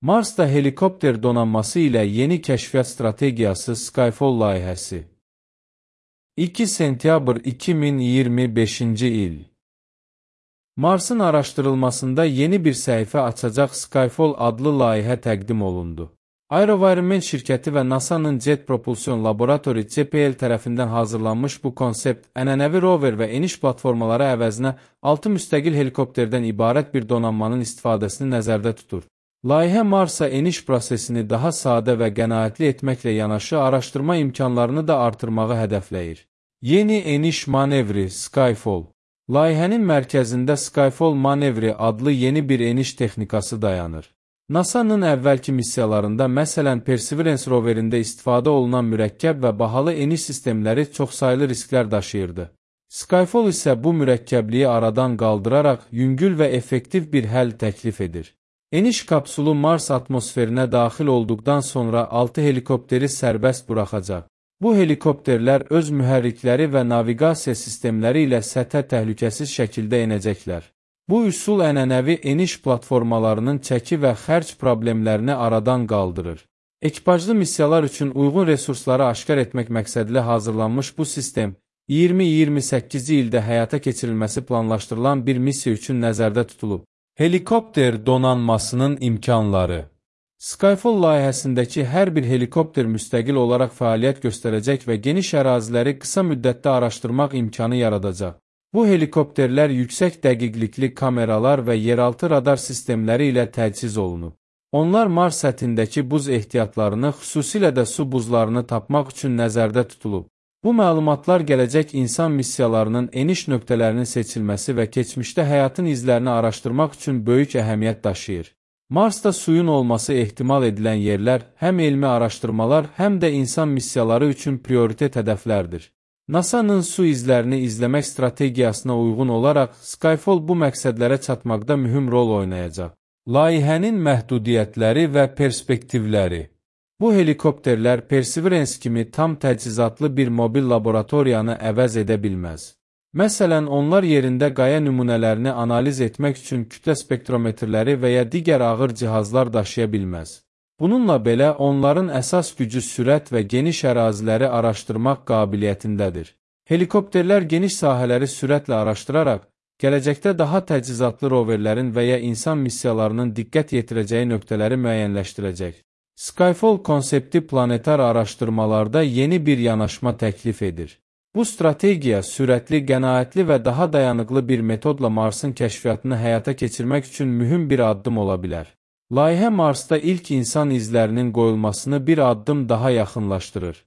Marsda helikopter donanması ilə yeni kəşfiyyat strategiyası Skyfall layihəsi. 2 sentyabr 2025-ci il. Marsın araşdırılmasında yeni bir səhifə açacaq Skyfall adlı layihə təqdim olundu. AeroVironment şirkəti və NASA-nın Jet Propulsion Laboratory JPL tərəfindən hazırlanmış bu konsept, ənənəvi rover və eniş platformaları əvəzinə 6 müstəqil helikopterdən ibarət bir donanmanın istifadəsini nəzərdə tutur. Layihə Marsa eniş prosesini daha sadə və qənaətli etməklə yanaşı, araşdırma imkanlarını da artırmağı hədəfləyir. Yeni eniş manevri Skyfall. Layihənin mərkəzində Skyfall manevri adlı yeni bir eniş texnikası dayanır. NASA-nın əvvəlki missiyalarında, məsələn Perseverance roverində istifadə olunan mürəkkəb və bahalı eniş sistemləri çoxsaylı risklər daşıyırdı. Skyfall isə bu mürəkkəbliyi aradan qaldıraraq yüngül və effektiv bir həll təklif edir. Eniş kapsulu Mars atmosferinə daxil olduqdan sonra 6 helikopteri sərbəst buraxacaq. Bu helikopterlər öz mühərrikləri və naviqasiya sistemləri ilə səthə təhlükəsiz şəkildə enəcəklər. Bu üsul ənənəvi eniş platformalarının çəki və xərc problemlərini aradan qaldırır. Ekipajlı missiyalar üçün uyğun resursları aşkar etmək məqsədilə hazırlanmış bu sistem, 2028-ci ildə həyata keçirilməsi planlaşdırılan bir missiya üçün nəzərdə tutulub. Helikopter donanmasının imkanları. Skyfall layihəsindəki hər bir helikopter müstəqil olaraq fəaliyyət göstərəcək və geniş əraziləri qısa müddətdə araşdırmaq imkanı yaradacaq. Bu helikopterlər yüksək dəqiqlikli kameralar və yeraltı radar sistemləri ilə təchiz olunub. Onlar Mars səthindəki buz ehtiyatlarını, xüsusilə də su buzlarını tapmaq üçün nəzərdə tutulub. Bu məlumatlar gələcək insan missiyalarının eniş nöqtələrinin seçilməsi və keçmişdə həyatın izlərini araşdırmaq üçün böyük əhəmiyyət daşıyır. Marsda suyun olması ehtimal edilən yerlər həm elmi araşdırmalar, həm də insan missiyaları üçün prioritet hədəflərdir. NASA-nın su izlərini izləmək strategiyasına uyğun olaraq Skyfall bu məqsədlərə çatmaqda mühüm rol oynayacaq. Layihənin məhdudiyyətləri və perspektivləri. Bu helikopterlər Perseverance kimi tam təchizatlı bir mobil laboratoriyanı əvəz edə bilməz. Məsələn, onlar yerində qaya nümunələrini analiz etmək üçün kütlə spektrometrləri və ya digər ağır cihazlar daşıya bilməz. Bununla belə, onların əsas gücü sürət və geniş əraziləri araşdırmaq qabiliyyətindədir. Helikopterlər geniş sahələri sürətlə araşdıraraq, gələcəkdə daha təchizatlı roverlərin və ya insan missiyalarının diqqət yetirəcəyi nöqtələri müəyyənləşdirəcək. Skyfall konsepti planetar araşdırmalarda yeni bir yanaşma təklif edir. Bu strategiya sürətli, qənaətli və daha dayanıqlı bir metodla Marsın kəşfiyyatını həyata keçirmək üçün mühüm bir addım ola bilər. Layihə Marsda ilk insan izlərinin qoyulmasını bir addım daha yaxınlaşdırır.